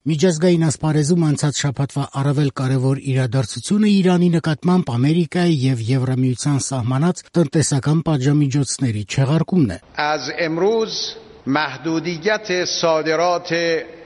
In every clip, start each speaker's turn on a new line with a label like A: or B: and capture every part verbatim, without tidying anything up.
A: Միջազգային ասպարեզում անցած շաբաթվա առավել կարևոր իրադարձությունը Իրանի նկատմամբ Ամերիկայի եւ Եվրամիության սահմանած տնտեսական պատժամիջոցների չեղարկումն է։
B: از امروز محدودیت صادرات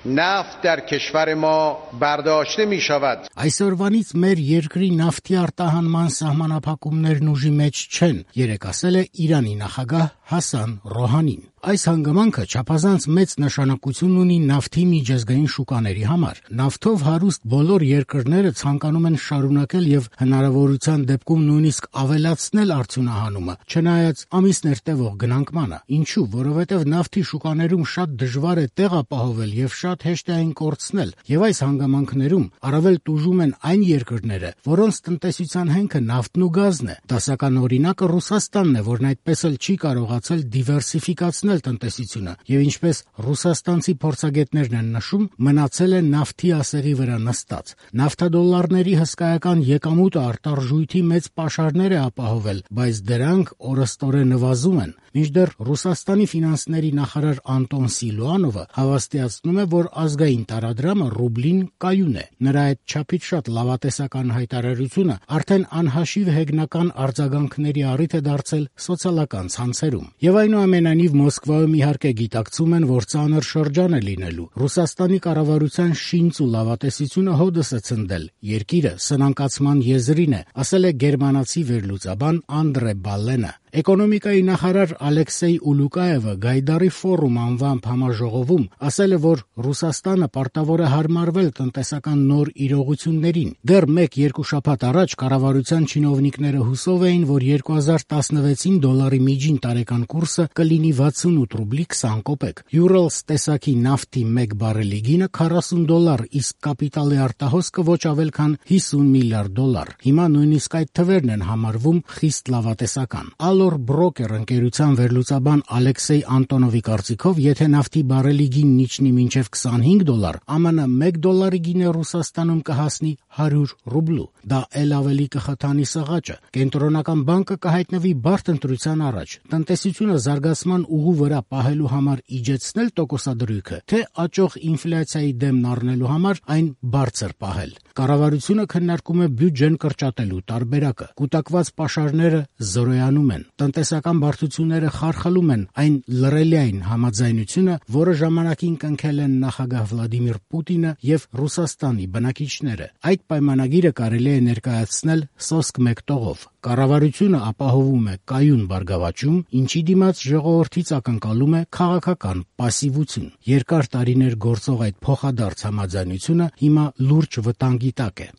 B: نفت در کشور ما برداشته می شود.
A: Այսօրվանից մեր երկրի նավթի արտահանման սահմանափակումներն ուժի մեջ չեն, երեկ ասել է Իրանի նախագահ Հասան Ռոհանին։ Այս հանգամանքը չափազանց մեծ նշանակություն ունի նավթի միջազգային շուկաների համար։ Նավթով հարուստ բոլոր երկրները ցանկանում են շարունակել եւ հնարավորության դեպքում նույնիսկ ավելացնել արդյունահանումը, չնայած ամիսներ տևող գնանկմանը։ Ինչու՞, որովհետեւ նավթի շուկաներում շատ դժվար է տեղ ապահովել եւ շատ հեշտ է այն կորցնել, եւ այս հանգամանքներում առավել տուժում են այն երկրները, որոնց տնտեսության հենքը նավթն ու գազն է։ Դասական օրինակը Ռուսաստանն է, որն այդպես էլ չի կարողացել դիվերսիֆիկացնել տնտեսությունը, եւ ինչպես ռուսաստանցի փորձագետներն են նշում, մնացել է նավթի ասեղի վրա նստած։ Նավթադոլարների հսկայական եկամուտը արտարժույթի մեծ պաշարներ է ապահովել, բայց դրանք օրըստօրե նվազում են։ Մինչդեռ Ռուսաստանի ֆինանսների նախարար Անտոն Սիլուանովը հավաստիացնում է, որ ազգային տարադրամը ռուբլին կայուն է։ Նրա այդ չափից շատ լավատեսական հայտարարությունը արդեն անհաշիվ հեգնական արձագանքների առիթ է դարձել սոցիալական ցանցերում։ Եվ այնուամենայնիվ Մոսկվայում իհարկե գիտակցում են, որ ծանր շրջան է լինելու։ Ռուսաստանի կառավարության շինծ ու լավատեսությունը հոդս է ցնդել։ Երկիրը սնանկացման եզրին է, ասել է գերմանացի վերլուծաբան Անդրե Բալենը։ Էկոնոմիկայի նախարար Ալեքսեյ Ուլուկաևը Գայդարի ֆորում անվամբ համաժողովում ասել է, որ Ռուսաստանը պարտավոր է հարմարվել տնտեսական նոր իրողություններին։ Դեռ մեկ-երկու շաբաթ առաջ կառավարության չինովնիկները հուսով էին, որ երկու հազար տասնվեցին դոլարի միջին տարեկան կուրսը կլինի վաթսունութ ռուբլի քսան կոպեկ։ Urals տեսակի նավթի մեկ բարելի գինը քառասուն դոլար, իսկ կապիտալի արտահոսքը ոչ ավել քան հիսուն միլիարդ դոլար։ Հիմա նույնիսկ այդ թվերն են համարվում խիստ լավատեսական։ Allor Broker ընկերության վերլուծաբան Ալեքսեյ Անտոնովի կարծիքով, եթե նավթի բարելի գինն իջնի մինչև քսանհինգ դոլար, ԱՄՆ մեկ դոլարի գինը Ռուսաստանում կհասնի հարյուր ռուբլու։ Դա էլ ավելի կխթանի սղաճը։ Կենտրոնական բանկը կհայտնվի բարդ ընտրության առաջ՝ տնտեսությունը զարգացման ուղու վրա պահելու համար իջեցնել տոկոսադրույքը, թե աճող ինֆլյացիայի դեմն առնելու համար այն բարձր պահել։ Կառավարությունը քննարկում է բյուջեն կրճատելու տարբերակը։ Կուտակված պաշարները զորոյանում են։ Տնտեսական բարդությունները խարխլում են այն լռելիային համաձայնությունը, որը ժամանակին կնքել են նախագահ Վլադիմիր Պուտինը եւ Ռուսաստանի բնակիչները։ Այդ պայմանագիրը կարելի է ներկայացնել սոսկ մեկ տողով։ Կառավարությունը ապահովում է կայուն բարգավաճում, ինչի դիմաց ժողովրդից ակնկալում է քաղաքական պասիվություն։ Երկար տարիներ գործող այդ փոխադարձ համաձայնությունը հիմա լուրջ վտանգի տակ է։